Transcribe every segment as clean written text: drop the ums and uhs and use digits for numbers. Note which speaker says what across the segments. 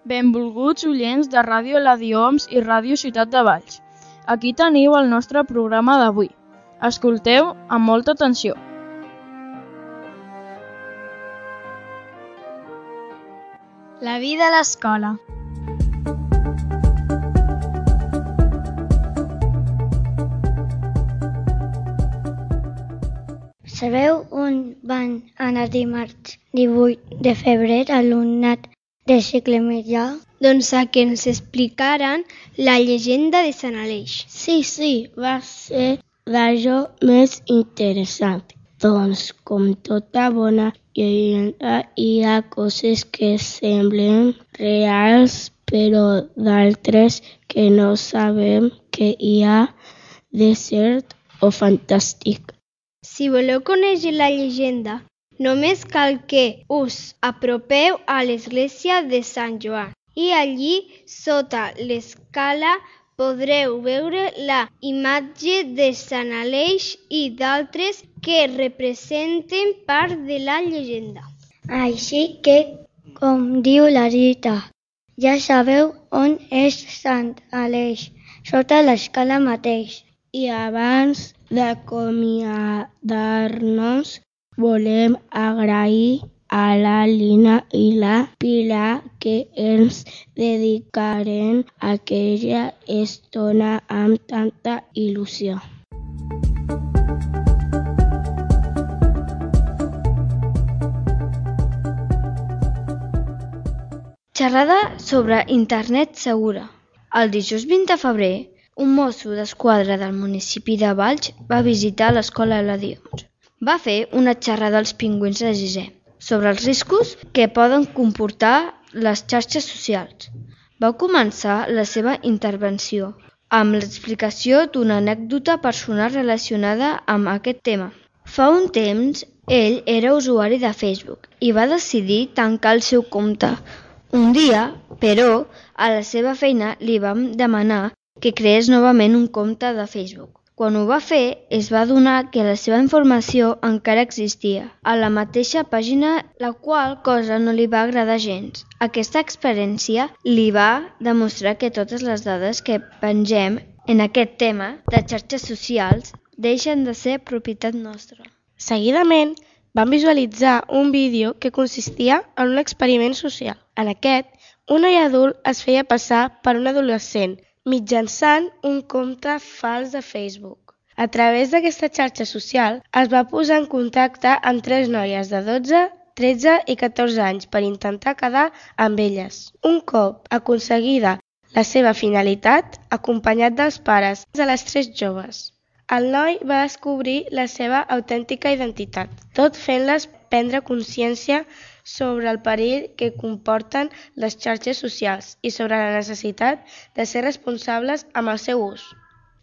Speaker 1: Benvolguts oients de Ràdio Ladioms i Ràdio Ciutat de Valls. Aquí teniu el nostre programa d'avui. Escolteu amb molta atenció.
Speaker 2: La vida a l'escola.
Speaker 3: Sabeu on van anar dimarts 18 de febrer l'alumnat de cicle mitjà?
Speaker 2: Doncs a que ens explicaren la llegenda de Sant Aleix.
Speaker 4: Sí, va ser d'allò més interessant. Doncs, com tota bona llegenda, hi ha coses que semblen reals, però d'altres que no sabem que hi ha de cert o fantàstic.
Speaker 2: Si voleu conèixer la llegenda, només cal que us apropeu a l'església de Sant Joan i allí, sota l'escala, podreu veure la imatge de Sant Aleix i d'altres que representen part de la llegenda.
Speaker 3: Així que, com diu la Rita, ja sabeu on és Sant Aleix, sota l'escala mateix.
Speaker 4: I abans d'acomiadar-nos, volem agrair a la Lina i la Pilar que ens dedicaren aquella estona amb tanta il·lusió.
Speaker 5: Xerrada sobre internet segura. El dijous 20 de febrer, un mosso d'esquadra del municipi de Valls va visitar l'escola Ladioms. Va fer una xerrada als pingüins de sisè sobre els riscos que poden comportar les xarxes socials. Va començar la seva intervenció amb l'explicació d'una anècdota personal relacionada amb aquest tema. Fa un temps, ell era usuari de Facebook i va decidir tancar el seu compte. Un dia, però, a la seva feina li vam demanar que creés novament un compte de Facebook. Quan ho va fer, es va adonar que la seva informació encara existia a la mateixa pàgina, la qual cosa no li va agradar gens. Aquesta experiència li va demostrar que totes les dades que pengem en aquest tema de xarxes socials deixen de ser propietat nostra.
Speaker 6: Seguidament, van visualitzar un vídeo que consistia en un experiment social. En aquest, un noi adult es feia passar per un adolescent mitjançant un compte fals de Facebook. A través d'aquesta xarxa social es va posar en contacte amb 3 noies de 12, 13 i 14 anys per intentar quedar amb elles. Un cop aconseguida la seva finalitat, acompanyat dels pares de les 3 joves, el noi va descobrir la seva autèntica identitat, tot fent-les prendre consciència sobre el perill que comporten les xarxes socials i sobre la necessitat de ser responsables amb el seu ús.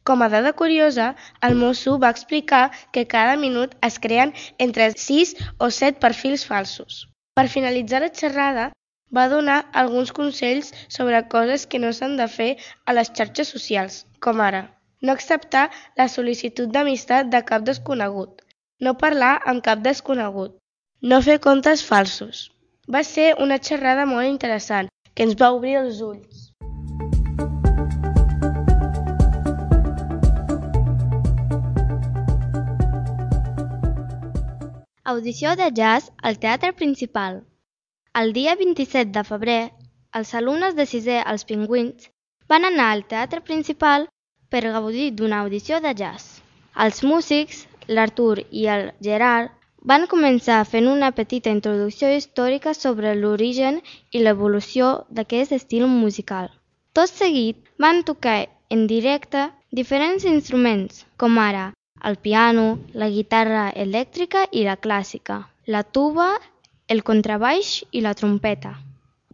Speaker 6: Com a dada curiosa, el mosso va explicar que cada minut es creen entre 6 o 7 perfils falsos. Per finalitzar la xerrada, va donar alguns consells sobre coses que no s'han de fer a les xarxes socials, com ara no acceptar la sol·licitud d'amistat de cap desconegut, no parlar amb cap desconegut, no fer comptes falsos. Va ser una xerrada molt interessant, que ens va obrir els ulls.
Speaker 7: Audició de jazz al Teatre Principal. El dia 27 de febrer, els alumnes de sisè als Pingüins van anar al Teatre Principal per gaudir d'una audició de jazz. Els músics, l'Artur i el Gerard, van començar fent una petita introducció històrica sobre l'origen i l'evolució d'aquest estil musical. Tot seguit van tocar en directe diferents instruments, com ara el piano, la guitarra elèctrica i la clàssica, la tuba, el contrabaix i la trompeta.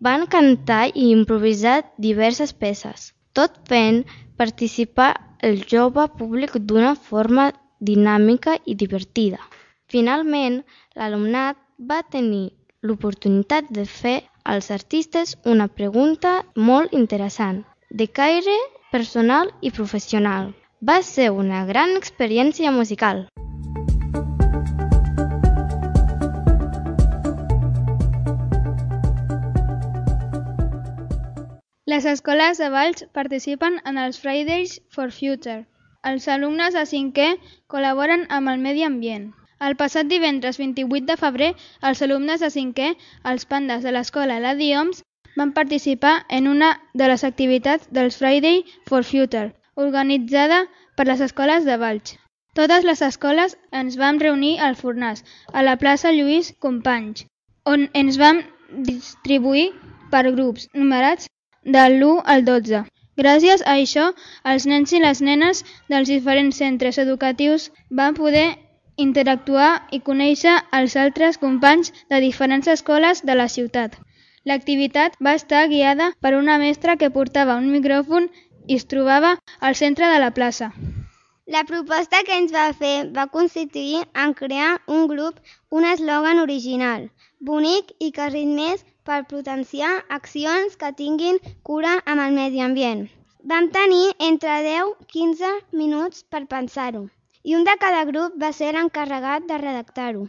Speaker 7: Van cantar i improvisar diverses peces, tot fent participar el jove públic d'una forma dinàmica i divertida. Finalment, l'alumnat va tenir l'oportunitat de fer als artistes una pregunta molt interessant, de caire personal i professional. Va ser una gran experiència musical.
Speaker 8: Les escoles de Valls participen en els Fridays for Future. Els alumnes de 5è col·laboren amb el medi ambient. El passat divendres 28 de febrer, els alumnes de 5è, els pandes de l'escola Eladi Homs, van participar en una de les activitats dels Friday for Future, organitzada per les escoles de Valls. Totes les escoles ens vam reunir al Fornàs, a la plaça Lluís Companys, on ens vam distribuir per grups numerats del 1 al 12. Gràcies a això, els nens i les nenes dels diferents centres educatius van poder interactuar i conèixer els altres companys de diferents escoles de la ciutat. L'activitat va estar guiada per una mestra que portava un micròfon i es trobava al centre de la plaça.
Speaker 2: La proposta que ens va fer va consistir en crear un grup, un eslògan original, bonic i que ritmés per potenciar accions que tinguin cura amb el medi ambient. Vam tenir entre 10 i 15 minuts per pensar-ho, i un de cada grup va ser l'encarregat de redactar-ho.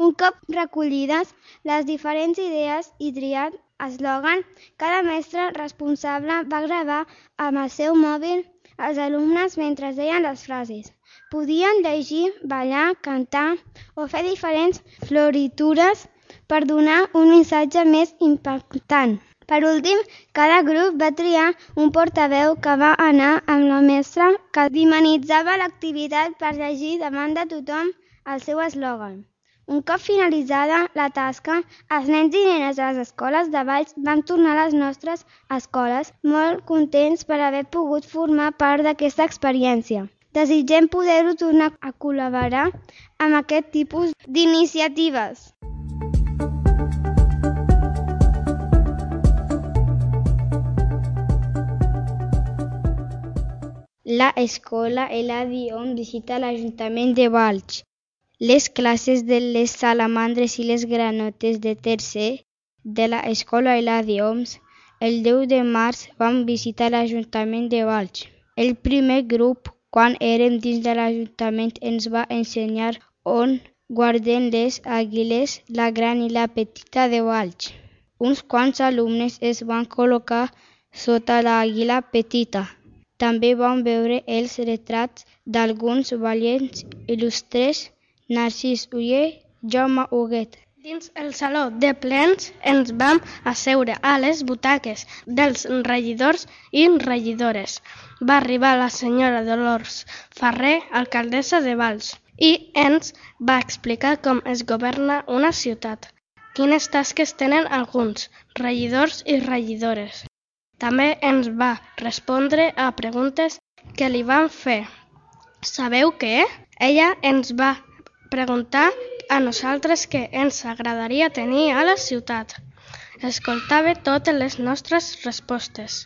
Speaker 2: Un cop recollides les diferents idees i triat eslògan, cada mestre responsable va gravar amb el seu mòbil els alumnes mentre deien les frases. Podien llegir, ballar, cantar o fer diferents floritures per donar un missatge més impactant. Per últim, cada grup va triar un portaveu que va anar amb la mestra que dinamitzava l'activitat per llegir davant de tothom el seu eslògan. Un cop finalitzada la tasca, els nens i nenes de les escoles de Valls van tornar a les nostres escoles molt contents per haver pogut formar part d'aquesta experiència. Desitgem poder-ho tornar a col·laborar amb aquest tipus d'iniciatives.
Speaker 4: La escola Eladi Homs visita l'Ajuntament de Valls. Les classes de les salamandres i les granotes de tercer de l'escola Eladi Homs el 10 de març van visitar l'Ajuntament de Valls. El primer grup, quan érem dins de l'Ajuntament, ens va ensenyar on guarden les àguiles, la gran i la petita de Valls. Uns quants alumnes es van col·locar sota l'àguila petita. També vam veure els retrats d'alguns valients il·lustres, Narcís Oller, Jaume Huguet.
Speaker 6: Dins el saló de plens ens vam asseure a les butaques dels regidors i regidores. Va arribar la senyora Dolors Ferrer, alcaldessa de Valls, i ens va explicar com es governa una ciutat, quines tasques tenen alguns regidors i regidores. També ens va respondre a preguntes que li van fer. Sabeu què? Ella ens va preguntar a nosaltres què ens agradaria tenir a la ciutat. Escoltava totes les nostres respostes.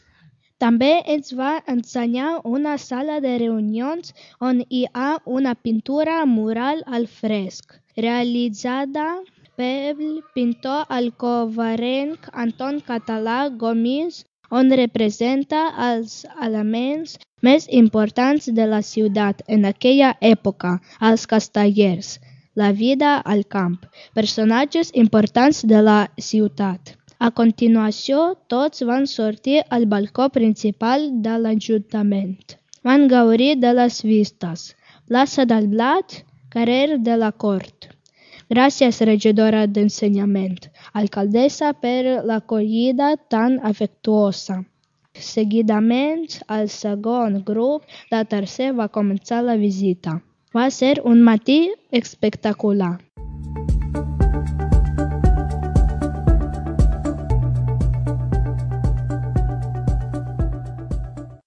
Speaker 1: També ens va ensenyar una sala de reunions on hi ha una pintura mural al fresc, realitzada pel pintor alcovarenc Anton Català Gomis, on representa els elements més importants de la ciutat en aquella època, els castellers, la vida al camp, personatges importants de la ciutat. A continuació, tots van sortir al balcó principal de l'Ajuntament. Van gaudir de les vistes, plaça del Blat, carrer de la Cort. Gràcies, regidora d'Ensenyament, alcaldessa, per l'acollida tan afectuosa. Seguidament, el segon grup de tercer va començar la visita. Va ser un matí espectacular.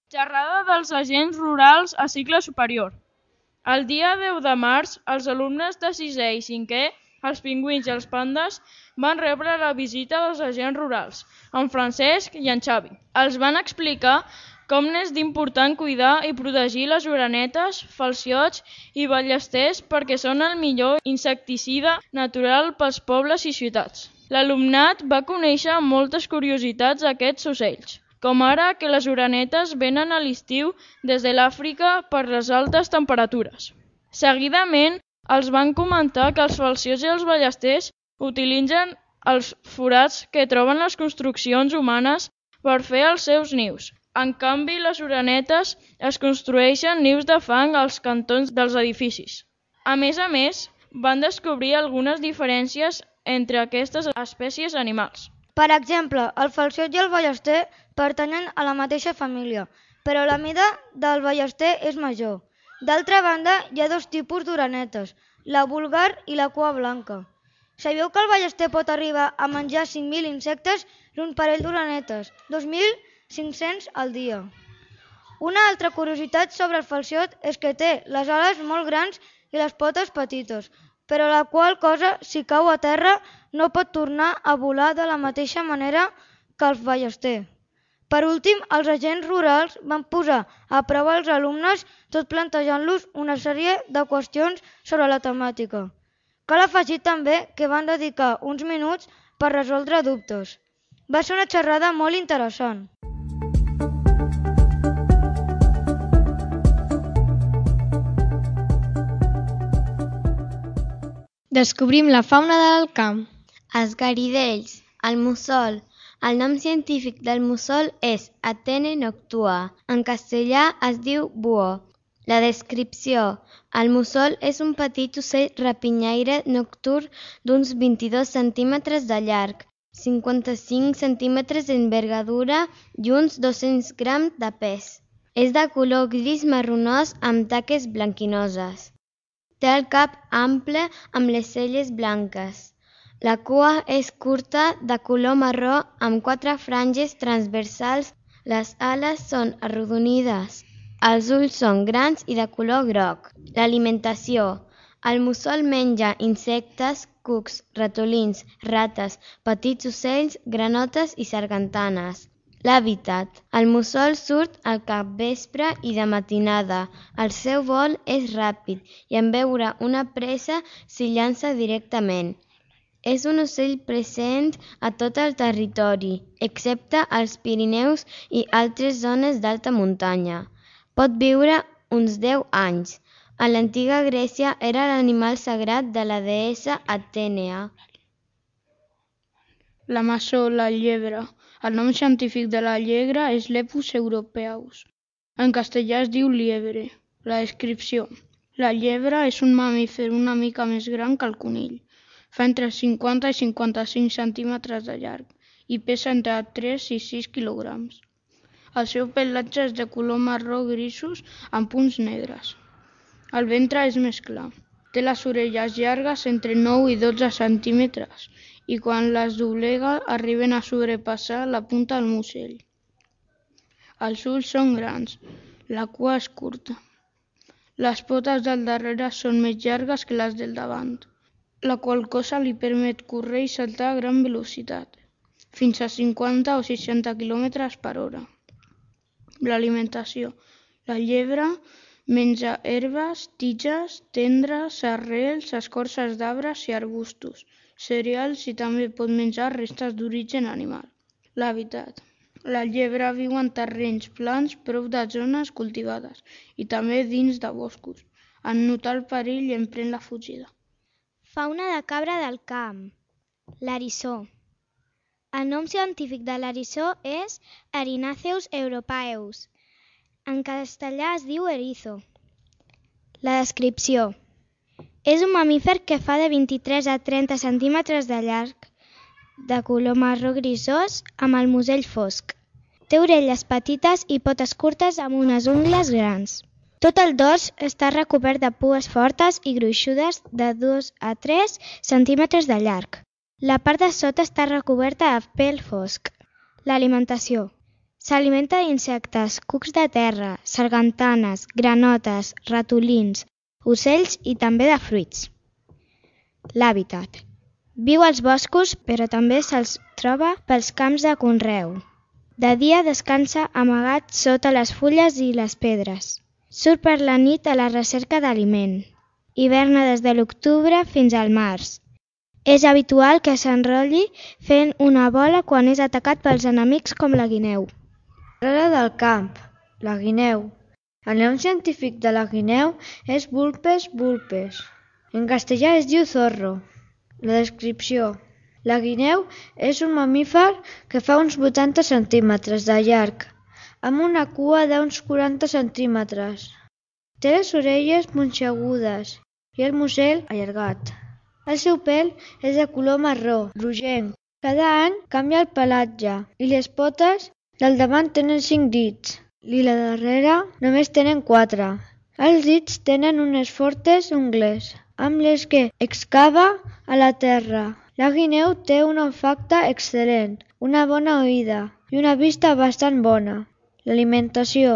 Speaker 1: Xerrada dels agents rurals a cicle superior. El dia 10 de març, els alumnes de 6è i 5è, els pingüins i els pandes, van rebre la visita dels agents rurals, en Francesc i en Xavi. Els van explicar com n'és d'important cuidar i protegir les orenetes, falciots i ballesters perquè són el millor insecticida natural pels pobles i ciutats. L'alumnat va conèixer moltes curiositats d'aquests ocells, com ara que les orenetes venen a l'estiu des de l'Àfrica per les altes temperatures. Seguidament, els van comentar que els falciots i els ballesters utilitzen els forats que troben les construccions humanes
Speaker 9: per fer els seus nius. En canvi, les orenetes es construeixen nius de fang als cantons dels edificis. A més, van descobrir algunes diferències entre aquestes espècies animals.
Speaker 10: Per exemple, el falciot i el ballester pertanyen a la mateixa família, però la mida del ballester és major. D'altra banda, hi ha dos tipus d'orenetes, la vulgar i la cua blanca. Sabíeu que el ballester pot arribar a menjar 5.000 insectes i un parell d'orenetes, 2.500 al dia. Una altra curiositat sobre el falciot és que té les ales molt grans i les potes petites, però la qual cosa, si cau a terra, no pot tornar a volar de la mateixa manera que el ballester. Per últim, els agents rurals van posar a prova els alumnes tot plantejant-los una sèrie de qüestions sobre la temàtica. Cal afegir també que van dedicar uns minuts per resoldre dubtes. Va ser una xerrada molt interessant.
Speaker 1: Descobrim la fauna del camp.
Speaker 7: Els garidells, el mussol. El nom científic del mussol és Atene noctua. En castellà es diu buó. La descripció. El mussol és un petit ocell rapinyaire nocturn d'uns 22 centímetres de llarg, 55 centímetres d'envergadura i uns 200 grams de pes. És de color gris marronós amb taques blanquinoses. Té el cap ample amb les celles blanques. La cua és curta, de color marró, amb 4 franges transversals. Les ales són arrodonides. Els ulls són grans i de color groc. L'alimentació. El mussol menja insectes, cucs, ratolins, rates, petits ocells, granotes i sargantanes. L'hàbitat. El mussol surt al capvespre i de matinada. El seu vol és ràpid i en veure una presa s'hi llança directament. És un ocell present a tot el territori, excepte als Pirineus i altres zones d'alta muntanya. Pot viure uns 10 anys. A l'antiga Grècia era l'animal sagrat de la deessa Atènea.
Speaker 11: La maçó, la llebre. El nom científic de la llebre és Lepus europeus. En castellà es diu liebre. La descripció. La llebre és un mamífer una mica més gran que el conill. Fa entre 50 i 55 centímetres de llarg i pesa entre 3 i 6 quilograms. El seu pelatge és de color marró grisos amb punts negres. El ventre és més clar. Té les orelles llargues entre 9 i 12 centímetres i quan les doblega arriben a sobrepassar la punta del musell. Els ulls són grans, la cua és curta. Les potes del darrere són més llargues que les del davant, la qual cosa li permet córrer i saltar a gran velocitat, fins a 50 o 60 km per hora. L'alimentació. La llebre menja herbes, tiges, tendres, arrels, escorces d'arbres i arbustos, cereals i també pot menjar restes d'origen animal. L'hàbitat. La llebre viu en terrenys plans prop de zones cultivades i també dins de boscos. En notar el perill emprèn la fugida.
Speaker 2: Fauna de cabra del camp. L'eriçó. El nom científic de l'eriçó és Erinaceus europaeus. En castellà es diu erizo. La descripció. És un mamífer que fa de 23 a 30 centímetres de llarg, de color marró grisós, amb el musell fosc. Té orelles petites i potes curtes amb unes ungles grans. Tot el dors està recobert de pues fortes i gruixudes de 2 a 3 centímetres de llarg. La part de sota està recoberta de pèl fosc. L'alimentació. S'alimenta d'insectes, cucs de terra, sargantanes, granotes, ratolins, ocells i també de fruits. L'hàbitat. Viu als boscos, però també se'ls troba pels camps de conreu. De dia descansa amagat sota les fulles i les pedres. Surt per la nit a la recerca d'aliment. Hiverna des de l'octubre fins al març. És habitual que s'enrotlli fent una bola quan és atacat pels enemics com la guineu.
Speaker 5: Rara del camp, la guineu. El nom científic de la guineu és Vulpes vulpes. En castellà es diu zorro. La descripció.
Speaker 12: La guineu és un mamífer que fa uns 80 centímetres de llarg, amb una cua d'uns 40 centímetres. Té les orelles punxegudes i el musell allargat. El seu pèl és de color marró, rogenc. Cada any canvia el pelatge i les potes del davant tenen 5 dits i la darrere només tenen 4. Els dits tenen unes fortes ungles amb les que excava a la terra. La guineu té un olfacte excel·lent, una bona oïda i una vista bastant bona. L'alimentació.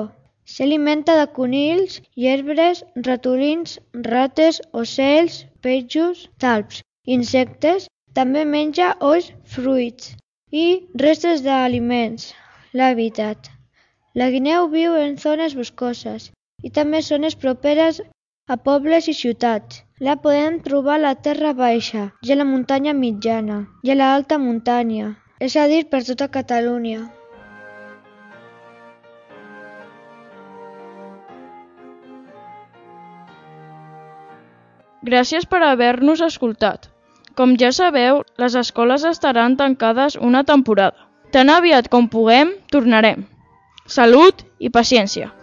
Speaker 12: S'alimenta de conills, llebres, ratolins, rates, ocells, peixos, talps, insectes. També menja ous, fruits i restes d'aliments. L'hàbitat. La guineu viu en zones boscoses i també zones properes a pobles i ciutats. La podem trobar a la terra baixa i a la muntanya mitjana i a l'alta muntanya, és a dir, per tota Catalunya.
Speaker 9: Gràcies per haver-nos escoltat. Com ja sabeu, les escoles estaran tancades una temporada. Tan aviat com puguem, tornarem. Salut i paciència!